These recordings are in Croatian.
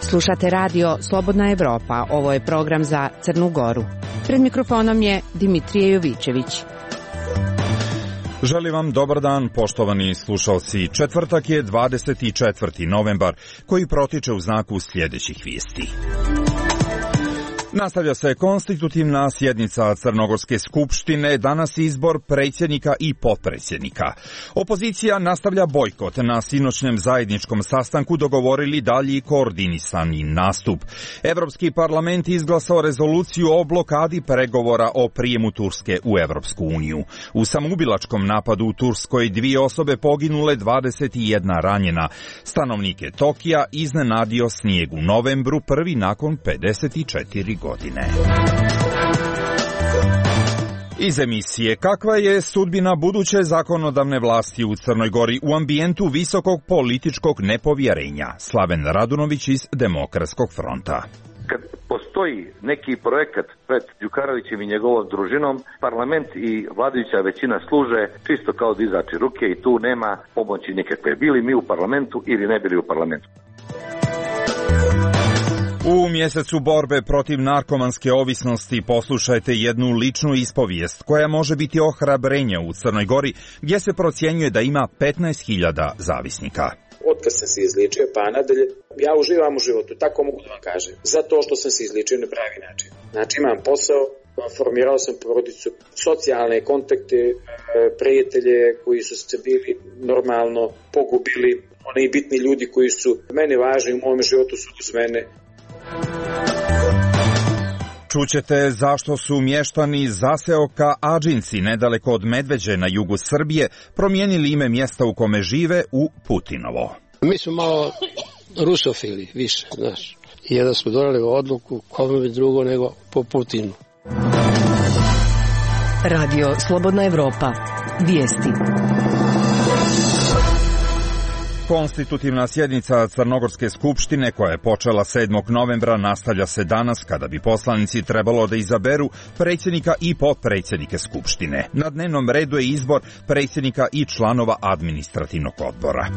Slušate radio Slobodna Evropa, ovo je program za Crnu Goru. Pred mikrofonom je Dimitrije Jovićević. Želim vam dobar dan, poštovani slušalci. Četvrtak je 24. novembar, koji protiče u znaku sljedećih vijesti. Nastavlja se konstitutivna sjednica Crnogorske skupštine, danas izbor predsjednika i potpredsjednika. Opozicija nastavlja bojkot, na sinoćnjem zajedničkom sastanku dogovorili dalji koordinisani nastup. Evropski parlament izglasao rezoluciju o blokadi pregovora o prijemu Turske u Evropsku uniju. U samoubilačkom napadu u Turskoj 2 osobe poginule, 21 ranjena. Stanovnike Tokija iznenadio snijeg u novembru, prvi nakon 54 godine. Iz emisije: kakva je sudbina buduće zakonodavne vlasti u Crnoj Gori u ambijentu visokog političkog nepovjerenja? Slaven Radunović iz Demokratskog fronta. Kad postoji neki projekat pred Đukanovićem i njegovom družinom, parlament i vladajuća većina služe čisto kao dizači ruke i tu nema pomoći nikakve. Bili mi u parlamentu ili ne bili u parlamentu. U mjesecu borbe protiv narkomanske ovisnosti poslušajte jednu ličnu ispovijest koja može biti ohrabrenje u Crnoj Gori, gdje se procjenjuje da ima 15.000 zavisnika. Otkad sam se izliječio pa nadalje, ja uživam u životu, tako mogu da vam kažem. Zato što sam se izliječio na pravi način. Znači imam posao, formirao sam porodicu, socijalne kontakte, prijatelje koji su se bili normalno pogubili, oni bitni ljudi koji su mene važni u mom životu su uz mene. Čućete zašto su mještani zaseoka Ađinci, nedaleko od Medveđe na jugu Srbije, promijenili ime mjesta u kome žive u Putinovo. Mi smo malo rusofili, više, znaš. I jedan smo donali odluku, kome bi drugo nego po Putinu. Radio Slobodna Evropa. Vijesti. Konstitutivna sjednica Crnogorske skupštine, koja je počela 7. novembra, nastavlja se danas, kada bi poslanici trebalo da izaberu predsjednika i potpredsjednike skupštine. Na dnevnom redu je izbor predsjednika i članova administrativnog odbora.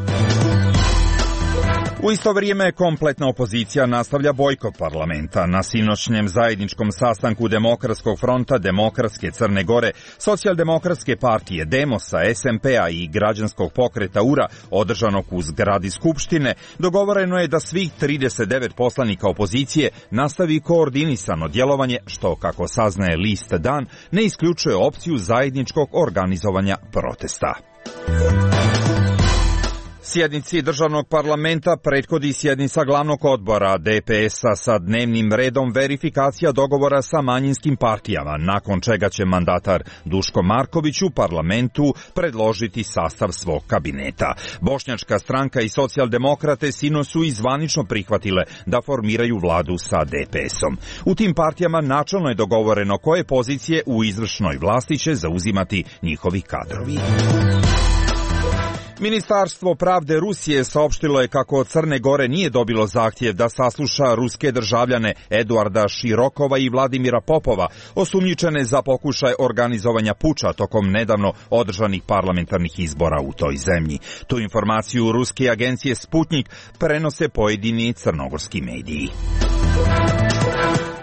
U isto vrijeme kompletna opozicija nastavlja bojkot parlamenta. Na sinoćnjem zajedničkom sastanku Demokratskog fronta, Demokratske Crne Gore, Socijaldemokratske partije, Demosa, SMP-a i građanskog pokreta URA, održanog u zgradi Skupštine, dogovoreno je da svih 39 poslanika opozicije nastavi koordinisano djelovanje, što, kako saznaje list Dan, ne isključuje opciju zajedničkog organizovanja protesta. Sjednici državnog parlamenta prethodi sjednica glavnog odbora DPS-a sa dnevnim redom verifikacija dogovora sa manjinskim partijama, nakon čega će mandatar Duško Marković u parlamentu predložiti sastav svog kabineta. Bošnjačka stranka i socijaldemokrate sinoć su i zvanično prihvatile da formiraju vladu sa DPS-om. U tim partijama načelno je dogovoreno koje pozicije u izvršnoj vlasti će zauzimati njihovi kadrovi. Ministarstvo pravde Rusije saopštilo je kako od Crne Gore nije dobilo zahtjev da sasluša ruske državljane Eduarda Širokova i Vladimira Popova, osumnjičene za pokušaj organizovanja puča tokom nedavno održanih parlamentarnih izbora u toj zemlji. Tu informaciju ruske agencije Sputnik prenose pojedini crnogorski mediji.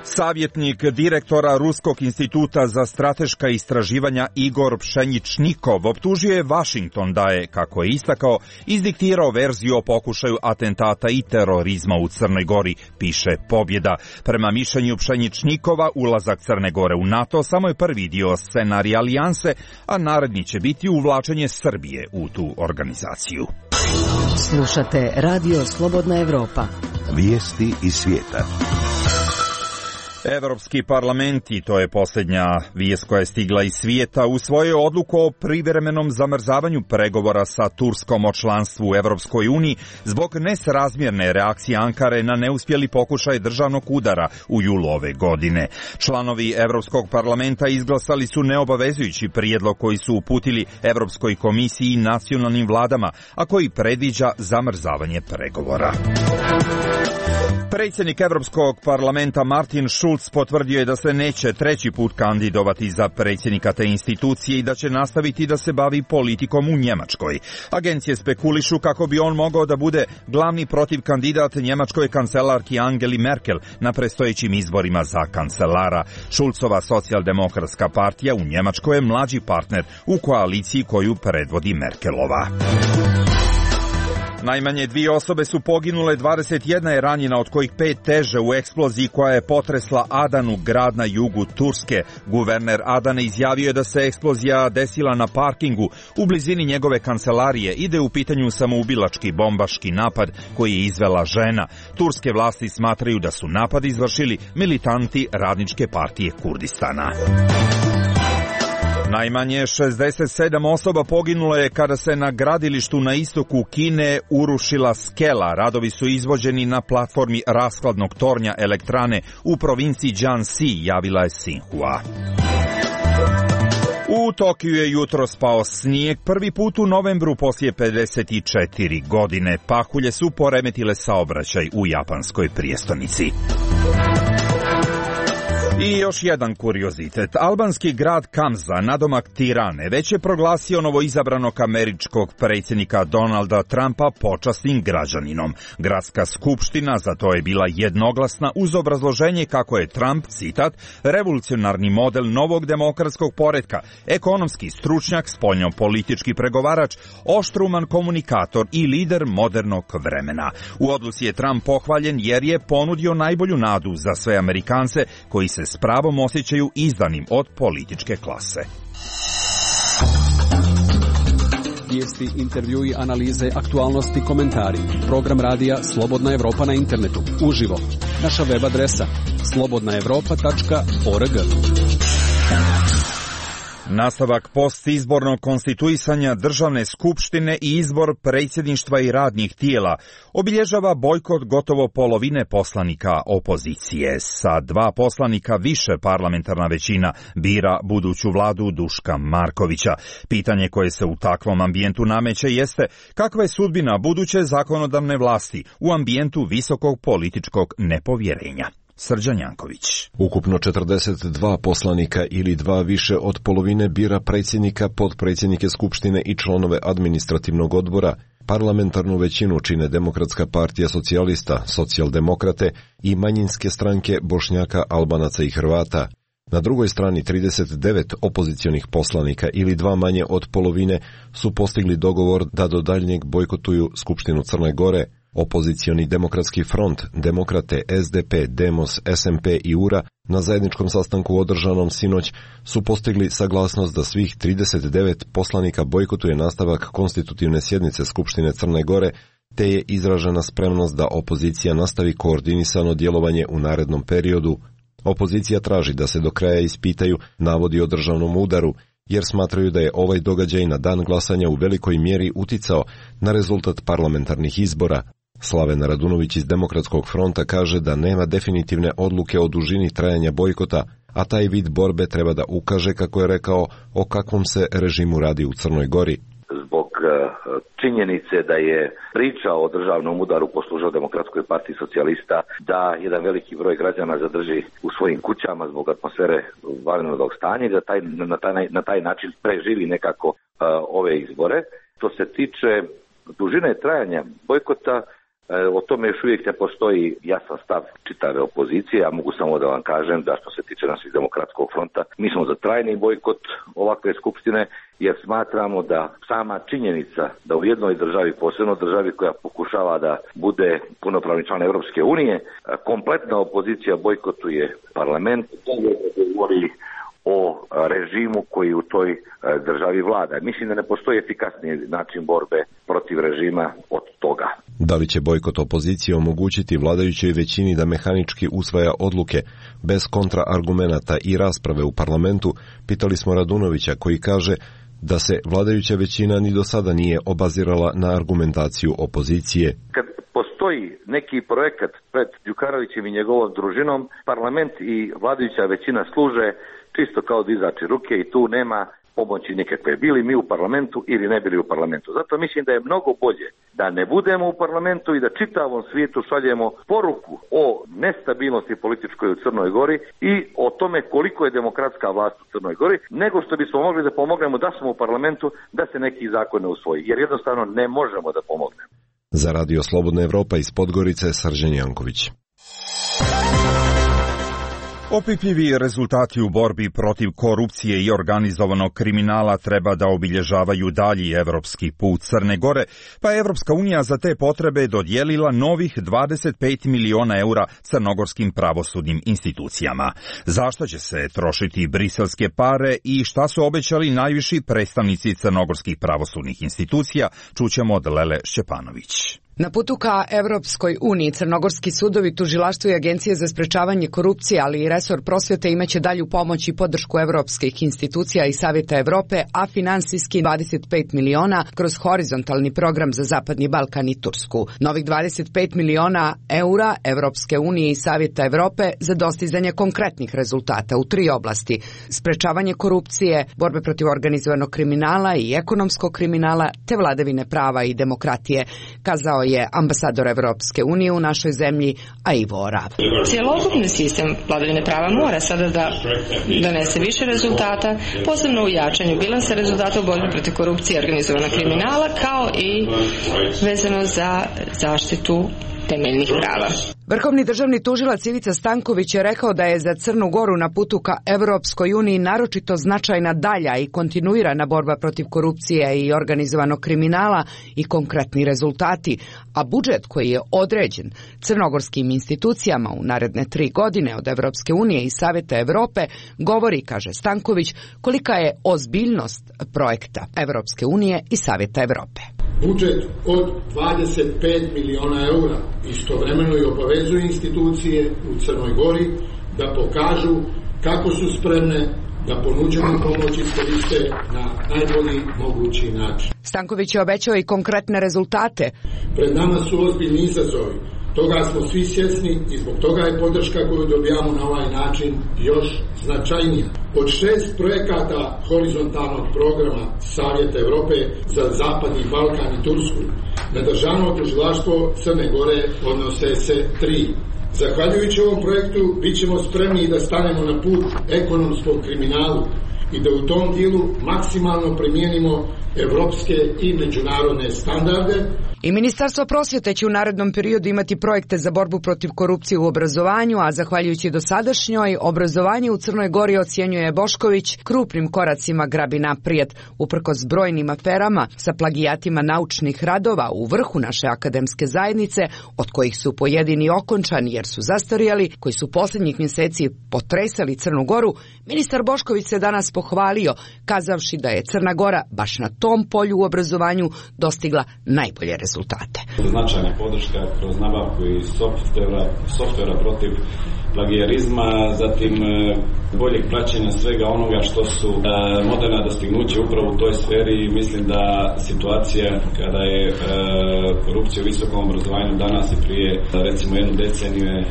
Savjetnik direktora Ruskog instituta za strateška istraživanja Igor Pšeničnikov optužio je Vašington da je, kako je istakao, izdiktirao verziju o pokušaju atentata i terorizma u Crnoj Gori, piše Pobjeda. Prema mišljenju Pšeničnikova, ulazak Crne Gore u NATO samo je prvi dio scenarija alijanse, a naredni će biti uvlačenje Srbije u tu organizaciju. Slušate Radio Slobodna Evropa. Vijesti iz svijeta. Evropski parlament, i to je posljednja vijest koja je stigla iz svijeta, usvojio odluku o privremenom zamrzavanju pregovora sa Turskom o članstvu u Evropskoj uniji zbog nesrazmjerne reakcije Ankare na neuspjeli pokušaj državnog udara u julu ove godine. Članovi Evropskog parlamenta izglasali su neobavezujući prijedlog koji su uputili Evropskoj komisiji i nacionalnim vladama, a koji predviđa zamrzavanje pregovora. Predsjednik Europskog parlamenta Martin Schulz Scholz potvrdio je da se neće treći put kandidovati za predsjednika te institucije i da će nastaviti da se bavi politikom u Njemačkoj. Agencije spekulišu kako bi on mogao da bude glavni protiv kandidat njemačkoj kancelarki Angeli Merkel na predstojećim izborima za kancelara. Šulcova socijaldemokratska partija u Njemačkoj je mlađi partner u koaliciji koju predvodi Merkelova. Najmanje 2 osobe su poginule, 21 je ranjena, od kojih 5 teže u eksploziji koja je potresla Adanu, grad na jugu Turske. Guverner Adane izjavio je da se eksplozija desila na parkingu u blizini njegove kancelarije i da je u pitanju samoubilački bombaški napad koji je izvela žena. Turske vlasti smatraju da su napad izvršili militanti Radničke partije Kurdistana. Najmanje 67 osoba poginulo je kada se na gradilištu na istoku Kine urušila skela. Radovi su izvođeni na platformi rashladnog tornja elektrane u provinciji Jiangxi, javila je Xinhua. U Tokiju je jutro spao snijeg prvi put u novembru poslije 54 godine. Pahulje su poremetile saobraćaj u japanskoj prijestolnici. I još jedan kuriozitet. Albanski grad Kamza, nadomak Tirane, već je proglasio novoizabranog američkog predsjednika Donalda Trumpa počasnim građaninom. Gradska skupština za to je bila jednoglasna uz obrazloženje kako je Trump, citat, revolucionarni model novog demokratskog poretka, ekonomski stručnjak, spoljnopolitički pregovarač, oštruman komunikator i lider modernog vremena. U odluci je Trump pohvaljen jer je ponudio najbolju nadu za sve Amerikance koji se s pravom osjećaju izdanim od političke klase. Vijesti, intervjui, analize, aktualnosti, komentari. Program radija Slobodna Evropa na internetu. Uživo. Naša web adresa slobodnaevropa.org. Nastavak postizbornog konstituisanja državne skupštine i izbor predsjedništva i radnih tijela obilježava bojkot gotovo polovine poslanika opozicije. Sa 2 poslanika više parlamentarna većina bira buduću vladu Duška Markovića. Pitanje koje se u takvom ambijentu nameće jeste kakva je sudbina buduće zakonodavne vlasti u ambijentu visokog političkog nepovjerenja. Srđan Janković. Ukupno 42 poslanika ili 2 više od polovine bira predsjednika, potpredsjednike Skupštine i članove administrativnog odbora. Parlamentarnu većinu čine Demokratska partija socijalista, socijaldemokrate i manjinske stranke Bošnjaka, Albanaca i Hrvata. Na drugoj strani 39 opozicionih poslanika ili 2 manje od polovine su postigli dogovor da do daljnjeg bojkotuju Skupštinu Crne Gore. Opozicioni Demokratski front, Demokrate, SDP, Demos, SMP i URA na zajedničkom sastanku održanom sinoć su postigli saglasnost da svih 39 poslanika bojkotuje nastavak konstitutivne sjednice Skupštine Crne Gore, te je izražena spremnost da opozicija nastavi koordinisano djelovanje u narednom periodu. Opozicija traži da se do kraja ispitaju navodi o državnom udaru, jer smatraju da je ovaj događaj na dan glasanja u velikoj mjeri uticao na rezultat parlamentarnih izbora. Slaven Radunović iz Demokratskog fronta kaže da nema definitivne odluke o dužini trajanja bojkota, a taj vid borbe treba da ukaže, kako je rekao, o kakvom se režimu radi u Crnoj Gori. Zbog činjenice da je priča o državnom udaru poslužio Demokratskoj partiji socijalista, da jedan veliki broj građana zadrži u svojim kućama zbog atmosfere vanrednog stanja i da na taj način preživi nekako ove izbore. Što se tiče dužine trajanja bojkota, o tome još uvijek ne postoji jasan stav čitave opozicije. Ja mogu samo da vam kažem da što se tiče naših Demokratskog fronta, mi smo za trajni bojkot ovakve skupštine, jer smatramo da sama činjenica da u jednoj državi, posebno državi koja pokušava da bude punopravni član Europske unije, kompletna opozicija bojkotuje parlament, to govori o režimu koji u toj državi vlada. Mislim da ne postoji efikasniji način borbe protiv režima od toga. Da li će bojkot opozicije omogućiti vladajućoj većini da mehanički usvaja odluke bez kontraargumenata i rasprave u parlamentu, pitali smo Radunovića, koji kaže da se vladajuća većina ni do sada nije obazirala na argumentaciju opozicije. Kad postoji neki projekat pred Đukanovićem i njegovom družinom, parlament i vladajuća većina služe čisto kao dizači ruke i tu nema pomoći nikakve, bili mi u parlamentu ili ne bili u parlamentu. Zato mislim da je mnogo bolje da ne budemo u parlamentu i da čitavom svijetu šaljemo poruku o nestabilnosti političkoj u Crnoj Gori i o tome koliko je demokratska vlast u Crnoj Gori, nego što bismo mogli da pomognemo da smo u parlamentu da se neki zakon ne usvoji, jer jednostavno ne možemo da pomognemo. Za Radio Slobodna Evropa iz Podgorice, Srđan Janković. Opipljivi rezultati u borbi protiv korupcije i organizovanog kriminala treba da obilježavaju dalji evropski put Crne Gore, pa je Evropska unija za te potrebe dodijelila novih 25 miliona eura crnogorskim pravosudnim institucijama. Zašto će se trošiti briselske pare i šta su obećali najviši predstavnici crnogorskih pravosudnih institucija, čućemo od Lele Šćepanović. Na putu ka Evropskoj uniji crnogorski sudovi, tužilaštvo i agencije za sprečavanje korupcije, ali i resor prosvjete imaće dalju pomoć i podršku evropskih institucija i Savjeta Evrope, a finansijski 25 miliona kroz horizontalni program za Zapadni Balkan i Tursku. Novih 25 miliona eura Evropske unije i Savjeta Evrope za dostizanje konkretnih rezultata u 3 oblasti: sprečavanje korupcije, borbe protiv organizovanog kriminala i ekonomskog kriminala, te vladavine prava i demokratije, kazao je ambasador Evropske unije u našoj zemlji, a Ivo Orav. Cjelokupni sistem vladavine prava mora sada da donese više rezultata, posebno u jačanju bilansa rezultata u borbi protiv korupcije i organizovanog kriminala, kao i vezano za zaštitu temeljnih prava. Vrhovni državni tužilac Ivica Stanković je rekao da je za Crnu Goru na putu ka Evropskoj uniji naročito značajna dalja i kontinuirana borba protiv korupcije i organizovanog kriminala i konkretni rezultati, a budžet koji je određen crnogorskim institucijama u naredne 3 godine od Evropske unije i Savjeta Evrope govori, kaže Stanković, kolika je ozbiljnost projekta Evropske unije i Savjeta Evrope. Budžet od 25 miliona eura istovremeno i obavezuje institucije u Crnoj Gori da pokažu kako su spremne da ponuđenu pomoć iskoriste na najbolji mogući način. Stanković je obećao i konkretne rezultate. Pred nama su ozbiljni izazovi. Toga smo svi svjesni i zbog toga je podrška koju dobijamo na ovaj način još značajnija. Od 6 projekata horizontalnog programa Savjeta Evrope za Zapadni Balkan i Tursku na državno tužilaštvo Crne Gore odnose se 3. Zahvaljujući ovom projektu bit ćemo spremni da stanemo na put ekonomskom kriminalu i da u tom dijelu maksimalno primijenimo evropske i međunarodne standarde. I Ministarstvo prosvjete će u narednom periodu imati projekte za borbu protiv korupcije u obrazovanju, a zahvaljujući dosadašnjoj, obrazovanje u Crnoj Gori, ocjenjuje Bošković, krupnim koracima grabi naprijed, uprkos brojnim aferama sa plagijatima naučnih radova u vrhu naše akademske zajednice, od kojih su pojedini okončani jer su zastarjeli, koji su posljednjih mjeseci potresali Crnu Goru. Ministar Bošković se danas pohvalio, kazavši da je Crna Gora baš na tom polju u obrazovanju dostigla najbolje rezultate. Značajna podrška kroz nabavku i softvera protiv plagijarizma, zatim boljeg praćenja svega onoga što su moderna dostignuća upravo u toj sferi. Mislim da situacija kada je korupcija u visokom obrazovanju danas i prije recimo 1 deceniju je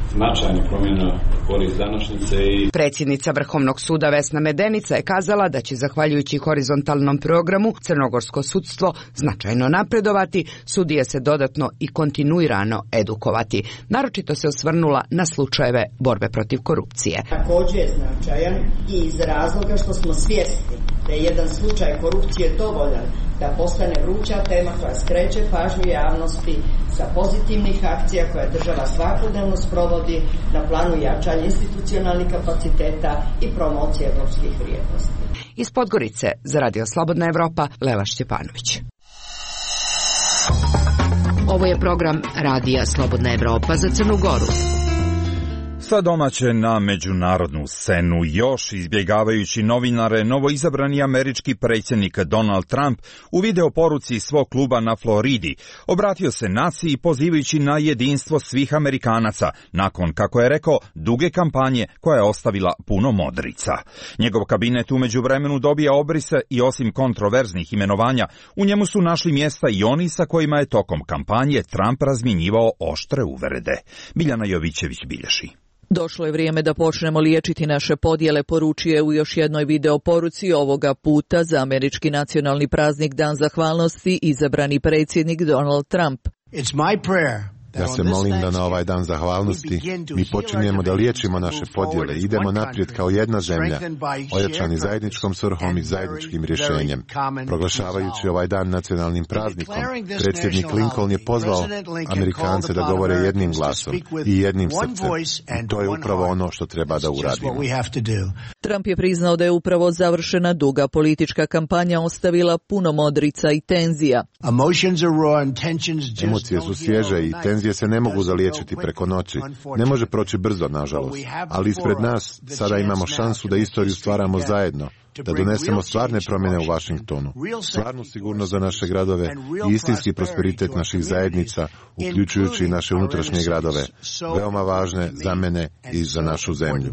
značajna promjena korist današnjice. Predsjednica Vrhovnog suda Vesna Medenica je kazala da će zahvaljujući horizontalnom programu crnogorsko sudstvo značajno napredovati, sudije se dodatno i kontinuirano edukovati. Naročito se osvrnula na slučajeve borbe protiv korupcije. Također je značajan i iz razloga što smo svjesni da je jedan slučaj korupcije dovoljan da postane vruća tema koja skreće pažnju javnosti sa pozitivnih akcija koje država svakodnevno sprovodi na planu jačanja institucionalnih kapaciteta i promocije evropskih vrijednosti. Iz Podgorice za Radio Slobodna Evropa, Lela Šćepanović. Ovo je program Radija Slobodna Evropa za Crnu Goru. Sa domaće na međunarodnu scenu, još izbjegavajući novinare, novoizabrani američki predsjednik Donald Trump u video poruci svog kluba na Floridi obratio se naciji pozivajući na jedinstvo svih Amerikanaca, nakon, kako je rekao, duge kampanje koja je ostavila puno modrica. Njegov kabinet u međuvremenu dobija obrise i osim kontroverznih imenovanja, u njemu su našli mjesta i oni sa kojima je tokom kampanje Trump razmjenjivao oštre uvrede. Biljana Jovićević bilježi. Došlo je vrijeme da počnemo liječiti naše podjele, poručuje u još jednoj video poruci ovoga puta za američki nacionalni praznik Dan zahvalnosti izabrani predsjednik Donald Trump. It's my prayer. Ja se molim da na ovaj dan zahvalnosti mi počinjemo da liječimo naše podjele i idemo naprijed kao jedna zemlja, ojačani zajedničkom svrhom i zajedničkim rješenjem. Proglašavajući ovaj dan nacionalnim praznikom, predsjednik Lincoln je pozvao Amerikance da govore jednim glasom i jednim srcem. I to je upravo ono što treba da uradimo. Trump je priznao da je upravo završena duga politička kampanja ostavila puno modrica i tenzija. Emocije su svježe i tenzije se ne mogu zaliječiti preko noći. Ne može proći brzo, nažalost. Ali ispred nas sada imamo šansu da istoriju stvaramo zajedno, da donesemo stvarne promjene u Washingtonu, stvarnu sigurnost za naše gradove i istinski prosperitet naših zajednica, uključujući i naše unutrašnje gradove, veoma važne za mene i za našu zemlju.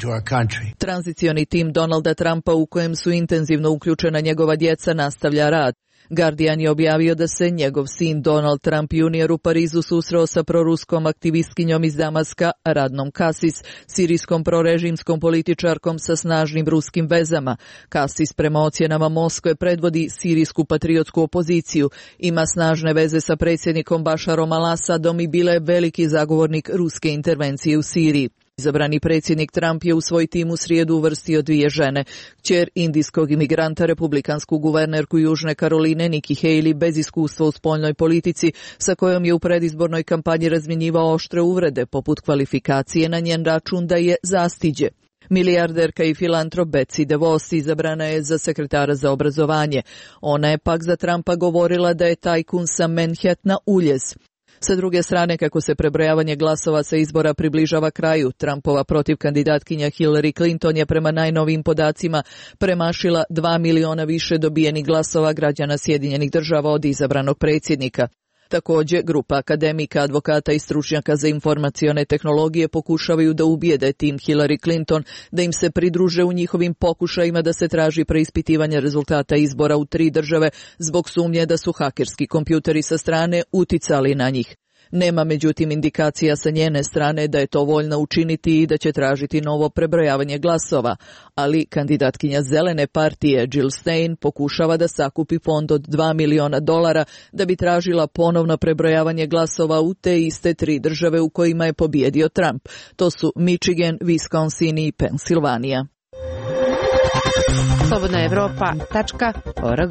Tranzicioni tim Donalda Trumpa, u kojem su intenzivno uključena njegova djeca, nastavlja rad. Guardian je objavio da se njegov sin Donald Trump Jr. u Parizu susreo sa proruskom aktivistkinjom iz Damaska, Radnom Kasis, sirijskom prorežimskom političarkom sa snažnim ruskim vezama. Kasis prema ocjenama Moskve predvodi sirijsku patriotsku opoziciju, ima snažne veze sa predsjednikom Bašarom al-Asadom i bila je veliki zagovornik ruske intervencije u Siriji. Izabrani predsjednik Trump je u svoj tim u srijedu uvrstio 2 žene. Kćer indijskog imigranta, republikansku guvernerku Južne Karoline Nikki Haley, bez iskustva u spoljnoj politici, sa kojom je u predizbornoj kampanji razmjenjivao oštre uvrede, poput kvalifikacije na njen račun da je zastiđe. Milijarderka i filantrop Betsy DeVos izabrana je za sekretara za obrazovanje. Ona je pak za Trumpa govorila da je tajkun sa Manhattana uljez. Sa druge strane, kako se prebrojavanje glasova sa izbora približava kraju, Trumpova protivkandidatkinja Hillary Clinton je prema najnovijim podacima premašila 2 miliona više dobijenih glasova građana Sjedinjenih Država od izabranog predsjednika. Također, grupa akademika, advokata i stručnjaka za informacione tehnologije pokušavaju da ubijede tim Hillary Clinton da im se pridruže u njihovim pokušajima da se traži preispitivanje rezultata izbora u 3 države zbog sumnje da su hakerski kompjuteri sa strane uticali na njih. Nema međutim indikacija sa njene strane da je to voljna učiniti i da će tražiti novo prebrojavanje glasova, ali kandidatkinja Zelene partije Jill Stein pokušava da sakupi fond od $2 miliona da bi tražila ponovno prebrojavanje glasova u te iste 3 države u kojima je pobijedio Trump. To su Michigan, Wisconsin i Pensilvanija. slobodnaevropa.org.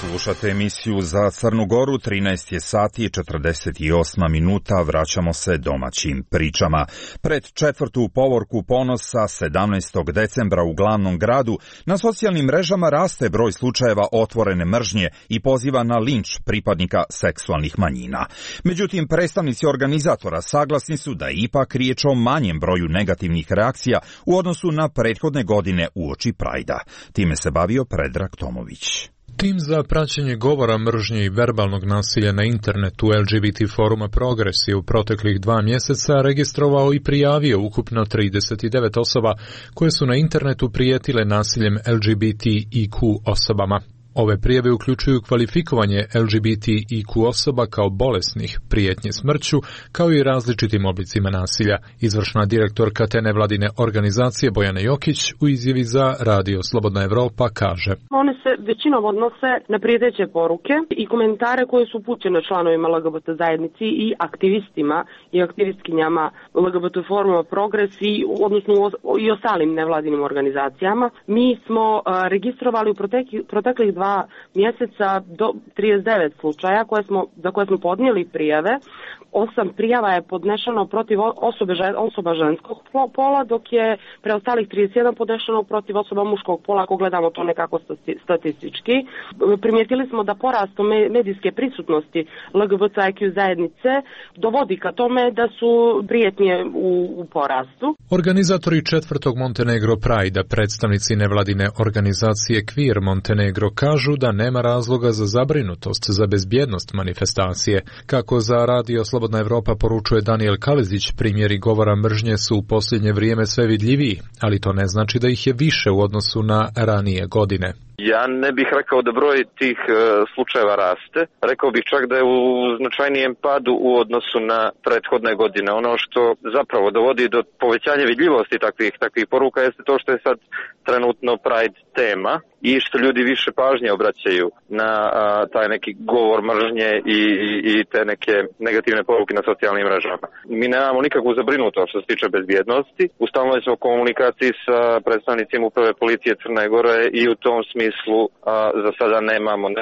Slušate emisiju za Crnu Goru, 13 je sati i 48 minuta, vraćamo se domaćim pričama. Pred 4. povorku ponosa 17. decembra u glavnom gradu na socijalnim mrežama raste broj slučajeva otvorene mržnje i poziva na linč pripadnika seksualnih manjina. Međutim, predstavnici organizatora saglasni su da je ipak riječ o manjem broju negativnih reakcija u odnosu na prethodne godine uoči Prajda. Time se bavio Predrag Tomović. Tim za praćenje govora mržnje i verbalnog nasilja na internetu LGBT foruma Progres je u proteklih 2 mjeseca registrovao i prijavio ukupno 39 osoba koje su na internetu prijetile nasiljem LGBTIQ osobama. Ove prijave uključuju kvalifikovanje LGBTIQ osoba kao bolesnih, prijetnje smrću, kao i različitim oblicima nasilja. Izvršna direktorka te nevladine organizacije Bojana Jokić u izjavi za Radio Slobodna Evropa kaže: One se većinom odnose na prijeteće poruke i komentare koje su upućene članovima LGBT zajednici i aktivistima i aktivistkinjama LGBT foruma Progres odnosno i ostalim nevladinim organizacijama. Mi smo registrovali u proteklih 2 mjeseca do 39 slučaja za koje smo podnijeli prijave. 8 prijava je podnešeno protiv osoba ženskog pola, dok je preostalih 31 podnešeno protiv osoba muškog pola, ako gledamo to nekako statistički. Primijetili smo da porastom medijske prisutnosti LGBTIQ zajednice dovodi ka tome da su prijetnje u porastu. Organizatori 4. Montenegro Prajda, predstavnici nevladine organizacije Queer Montenegro, kažu da nema razloga za zabrinutost za bezbjednost manifestacije. Kako za Radio Slobodna Evropa poručuje Daniel Kalezić, primjeri govora mržnje su u posljednje vrijeme sve vidljiviji, ali to ne znači da ih je više u odnosu na ranije godine. Ja ne bih rekao da broj tih slučajeva raste. Rekao bih čak da je u značajnijem padu u odnosu na prethodne godine. Ono što zapravo dovodi do povećanja vidljivosti takvih poruka jeste to što je sad trenutno Pride tema i što ljudi više pažnje obraćaju na taj neki govor mržnje i te neke negativne poruke na socijalnim mrežama. Mi nemamo nikakvu zabrinutost što se tiče bezbjednosti. U stalnoj smo komunikaciji sa predstavnicima uprave policije Crne Gore i u tom smislu za sada ne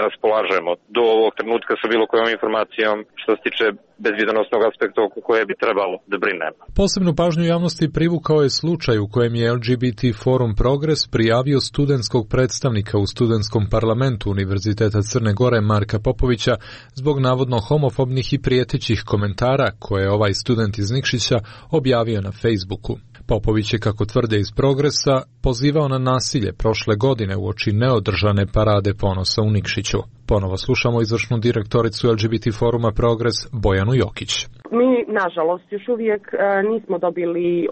raspolažemo do ovog trenutka sa bilo kojom informacijom što se tiče bezbjednosnog aspekta oko koje bi trebalo da brinemo. Posebnu pažnju javnosti privukao je slučaj u kojem je LGBT Forum Progres prijavio studentskog predstavnika u studentskom parlamentu Univerziteta Crne Gore Marka Popovića zbog navodno homofobnih i prijetećih komentara koje je ovaj student iz Nikšića objavio na Facebooku. Popović je, kako tvrde iz Progresa, pozivao na nasilje prošle godine uoči neodržane parade ponosa u Nikšiću. Ponovo slušamo izvršnu direktoricu LGBT Foruma Progres Bojanu Jokić. Mi, nažalost, još uvijek nismo dobili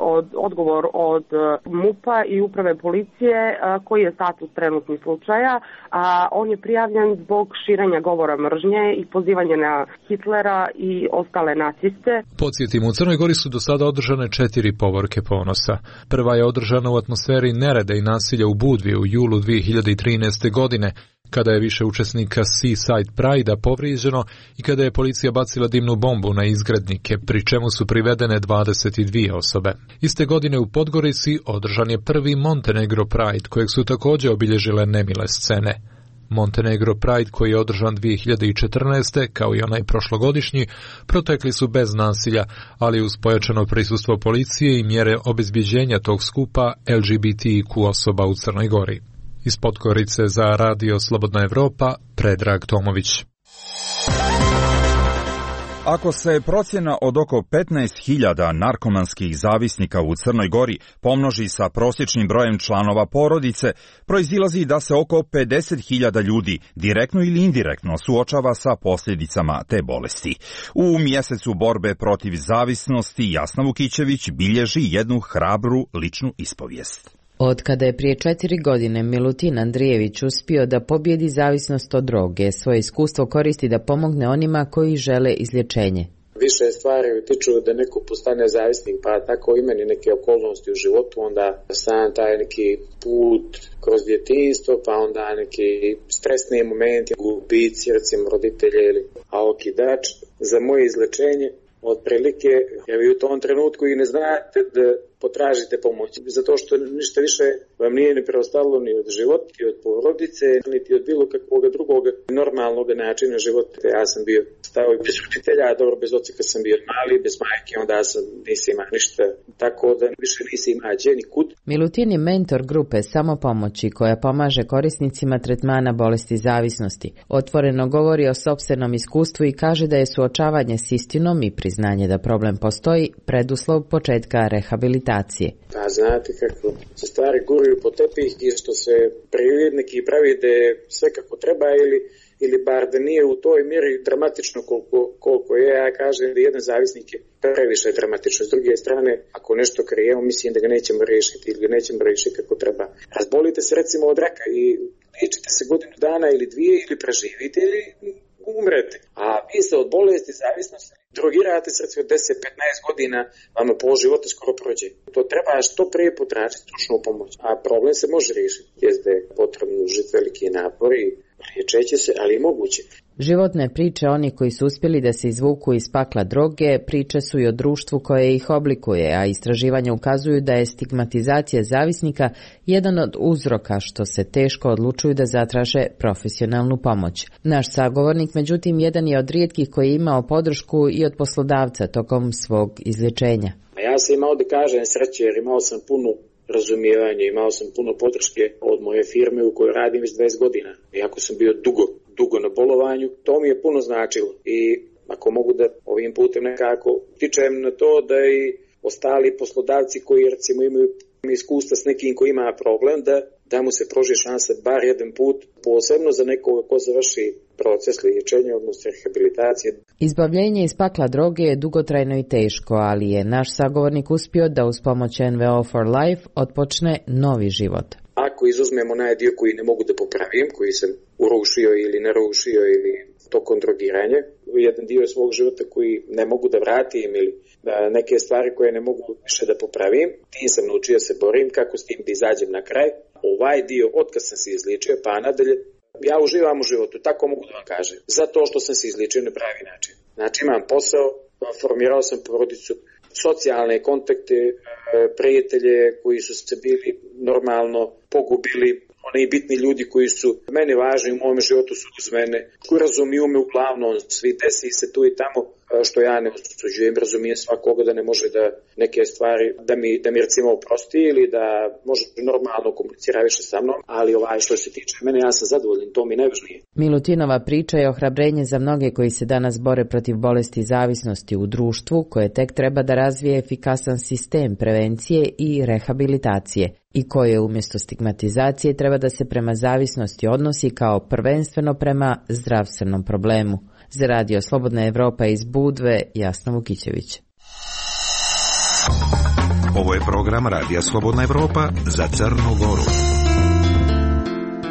odgovor od MUP-a i uprave policije koji je status trenutnih slučaja. On je prijavljen zbog širenja govora mržnje i pozivanja na Hitlera i ostale naciste. Podsjetimo, u Crnoj Gori su do sada održane 4 povorke ponosa. Prva je održana u atmosferi nereda i nasilja u Budvi u julu 2013. godine, kada je više učesnika Seaside Pride-a povrijeđeno i kada je policija bacila dimnu bombu na izgrednike, pri čemu su privedene 22 osobe. Iste godine u Podgorici održan je prvi Montenegro Pride, kojeg su također obilježile nemile scene. Montenegro Pride, koji je održan 2014. kao i onaj prošlogodišnji, protekli su bez nasilja, ali uz pojačano prisustvo policije i mjere obezbjeđenja tog skupa LGBTQ osoba u Crnoj Gori. Iz Podgorice za Radio Slobodna Evropa, Predrag Tomović. Ako se procjena od oko 15.000 narkomanskih zavisnika u Crnoj Gori pomnoži sa prosječnim brojem članova porodice, proizilazi da se oko 50.000 ljudi direktno ili indirektno suočava sa posljedicama te bolesti. U mjesecu borbe protiv zavisnosti Jasna Vukićević bilježi jednu hrabru ličnu ispovijest. Od kada je prije 4 godine Milutin Andrijević uspio da pobjedi zavisnost od droge, svoje iskustvo koristi da pomogne onima koji žele izlječenje. Više stvari utiču da neko postane zavisnik, pa tako i meni neke okolnosti u životu, onda sam taj neki put kroz djetinjstvo, pa onda neki stresni momenti, gubici, recimo roditelje ili okidač. Za moje izlječenje otprilike, jer vi u tom trenutku i ne znate da potražite pomoć, zato što ništa više vam nije ni preostalo ni od života, ni od porodice, niti od bilo kakvog drugog normalnog načina života. Ja sam bio stao i bez roditelja, dobro, bez oca kad sam bio mali, bez majke, onda sam nisi ima ništa, tako da više nisi ima gdje ni kud. Milutin je mentor grupe Samopomoći koja pomaže korisnicima tretmana bolesti zavisnosti. Otvoreno govori o sopstvenom iskustvu i kaže da je suočavanje s istinom i priznanje da problem postoji preduslov početka rehabilitacije. A znate kako se stvari guraju po tepih i što se neki pravi da je sve kako treba ili bar da nije u toj mjeri dramatično koliko je. Ja kažem da jedan zavisnik je previše dramatično. S druge strane, ako nešto krijemo, mislim da ga nećemo riješiti ili ga nećemo riješiti kako treba. Razbolite se recimo od raka i liječite se godinu dana ili 2 ili preživite ili umrete. A vi se od bolesti zavisnosti drogirate srce od 10-15 godina, vama pol života skoro prođe. To treba što prije potražiti stručnu pomoć. A problem se može riješiti. Jeste je potrebno užiti veliki napor i liječeće se, ali i moguće. Životne priče onih koji su uspjeli da se izvuku iz pakla droge, priče su i o društvu koje ih oblikuje, a istraživanja ukazuju da je stigmatizacija zavisnika jedan od uzroka što se teško odlučuju da zatraže profesionalnu pomoć. Naš sagovornik, međutim, jedan je od rijetkih koji je imao podršku i od poslodavca tokom svog izlječenja. Ja sam imao da kažem sreće jer imao sam puno razumijevanje, imao sam puno podrške od moje firme u kojoj radim već 20 godina. Iako sam bio dugo na bolovanju, to mi je puno značilo. I ako mogu da ovim putem nekako tičem na to da i ostali poslodavci koji recimo imaju iskustva s nekim koji ima problem, da mu se pruži šansa bar jedan put, posebno za nekoga ko završi proces liječenja, odnosno rehabilitacije. Izbavljenje iz pakla droge je dugotrajno i teško, ali je naš sagovornik uspio da uz pomoć NVO for Life otpočne novi život. Ako ako izuzmemo onaj dio koji ne mogu da popravim, koji sam urušio ili narušio ili tokom drogiranja, jedan dio svog života koji ne mogu da vratim ili da neke stvari koje ne mogu više da popravim, tim sam naučio se borim, kako s tim da izađem na kraj. Ovaj dio, otkad sam se izličio pa nadalje, ja uživam u životu, tako mogu da vam kažem, zato što sam se izličio na pravi način. Znači imam posao, formirao sam porodicu, socijalne kontakte, prijatelje koji su se bili normalno pogubili, oni bitni ljudi koji su meni važni u mom životu su uz mene, koji razumiju me uglavnom, svi desi se tu i tamo, što ja ne osuđujem, razumijem svakoga da ne može da neke stvari, da mi recimo oprosti ili da može normalno komunicira više sa mnom, ali što se tiče mene, ja sam zadovoljan, to mi najvažnije. Milutinova priča je ohrabrenje za mnoge koji se danas bore protiv bolesti zavisnosti u društvu, koje tek treba da razvije efikasan sistem prevencije i rehabilitacije i koje umjesto stigmatizacije treba da se prema zavisnosti odnosi kao prvenstveno prema zdravstvenom problemu. Za Radio Slobodna Evropa iz Budve, Jasna Vukićević. Ovo je program Radija Slobodna Evropa za Crnu Goru.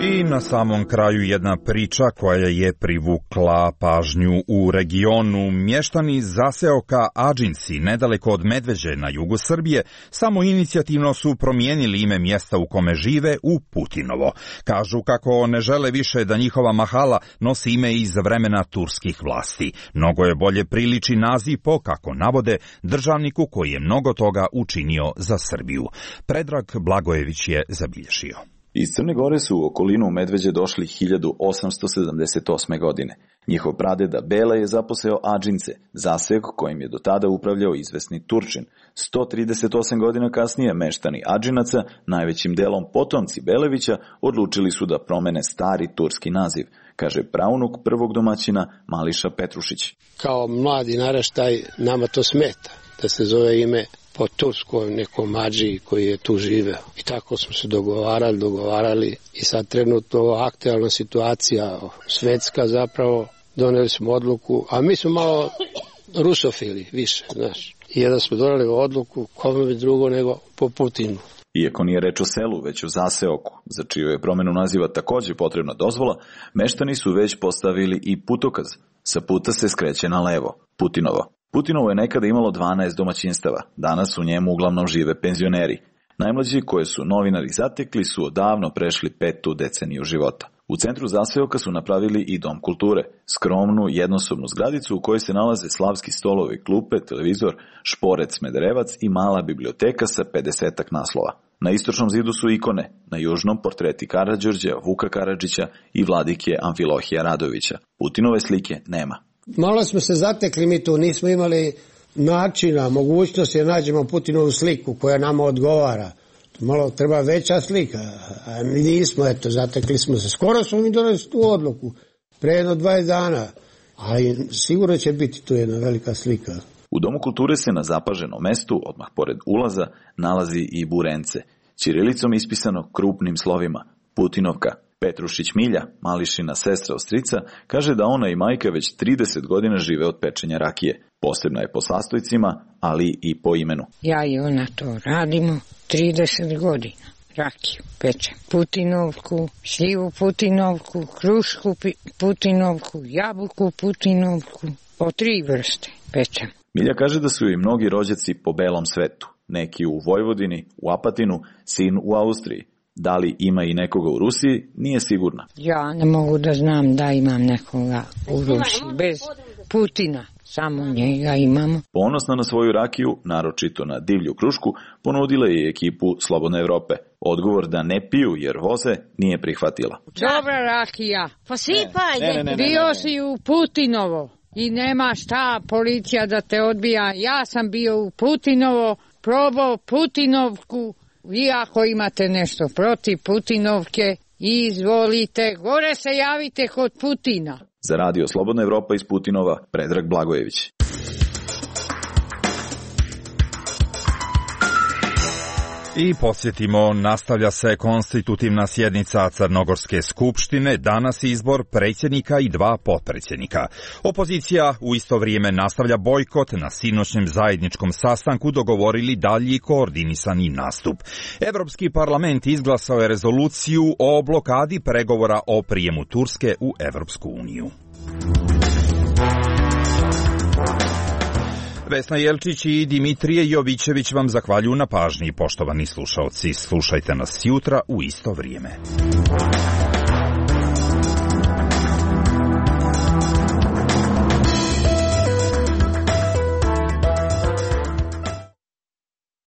I na samom kraju jedna priča koja je privukla pažnju u regionu. Mještani zaseoka Adžinci, nedaleko od Medveđe na jugu Srbije, samo inicijativno su promijenili ime mjesta u kome žive u Putinovo. Kažu kako ne žele više da njihova mahala nosi ime iz vremena turskih vlasti. Mnogo je bolje priliči naziv po, kako navode, državniku koji je mnogo toga učinio za Srbiju. Predrag Blagojević je zabilježio. Iz Crne Gore su u okolinu Medveđe došli 1878. godine. Njihov pradeda Bela je zaposeo Adžince, zaseok kojim je do tada upravljao izvesni Turčin. 138 godina kasnije meštani Adžinaca, najvećim delom potomci Belevića, odlučili su da promene stari turski naziv, kaže praunuk prvog domaćina Mališa Petrušić. Kao mladi naraštaj nama to smeta da se zove ime po turskom nekom Adžiji koji je tu živeo. I tako smo se dogovarali i sad trenutno aktualna situacija svetska zapravo, doneli smo odluku, a mi smo malo rusofili više, znaš. I jedan smo doneli odluku, kome bi drugo nego po Putinu. Iako nije reč o selu, već o zaseoku, za čiju je promenu naziva također potrebna dozvola, meštani su već postavili i putokaz. Sa puta se skreće na levo, Putinovo. Putinovo je nekada imalo 12 domaćinstava, danas u njemu uglavnom žive penzioneri. Najmlađi koje su novinari zatekli su odavno prešli 5. deceniju života. U centru zaseoka su napravili i dom kulture, skromnu jednosobnu zgradicu u kojoj se nalaze slavski stolovi, klupe, televizor, šporec, smederevac i mala biblioteka sa 50-ak naslova. Na istočnom zidu su ikone, na južnom portreti Karađorđa, Vuka Karadžića i vladike Amfilohija Radovića. Putinove slike nema. Malo smo se zatekli mi tu, nismo imali načina, mogućnosti da nađemo Putinovu sliku koja nama odgovara. Malo treba veća slika, a nismo, zatekli smo se. Skoro smo mi doneli tu odluku, pre jedno 20 dana, ali sigurno će biti tu jedna velika slika. U Domu kulture se na zapaženom mestu, odmah pored ulaza, nalazi i burence, ćirilicom ispisano krupnim slovima, Putinovka. Petrušić Milja, Mališina sestra ostrica, kaže da ona i majka već 30 godina žive od pečenja rakije. Posebna je po sastojcima, ali i po imenu. Ja i ona to radimo 30 godina. Rakiju pečem. Putinovku, šljivu Putinovku, krušku Putinovku, jabuku Putinovku. Po 3 vrste pečem. Milja kaže da su i mnogi rođaci po belom svetu. Neki u Vojvodini, u Apatinu, sin u Austriji. Da li ima i nekoga u Rusiji, nije sigurna. Ja ne mogu da znam da imam nekoga u Rusiji. Bez Putina, samo njega imamo. Ponosna na svoju rakiju, naročito na divlju krušku, ponudila je ekipu Slobodne Evrope. Odgovor da ne piju jer voze nije prihvatila. Dobra rakija. Posipaj. Bio si u Putinovo i nema šta policija da te odbija. Ja sam bio u Putinovo, probao Putinovku. Vi ako imate nešto protiv Putinovke, izvolite, gore se javite kod Putina. Za Radio Slobodna Evropa iz Putinova, Predrag Blagojević. I podsjetimo, nastavlja se konstitutivna sjednica Crnogorske skupštine, danas izbor predsjednika i 2 potpredsjednika. Opozicija u isto vrijeme nastavlja bojkot, na sinoćnjem zajedničkom sastanku dogovorili dalji koordinisani nastup. Evropski parlament izglasao je rezoluciju o blokadi pregovora o prijemu Turske u Evropsku uniju. Vesna Jelčić i Dimitrije Jovićević vam zahvaljuju na pažnji, poštovani slušaoci. Slušajte nas jutra u isto vrijeme.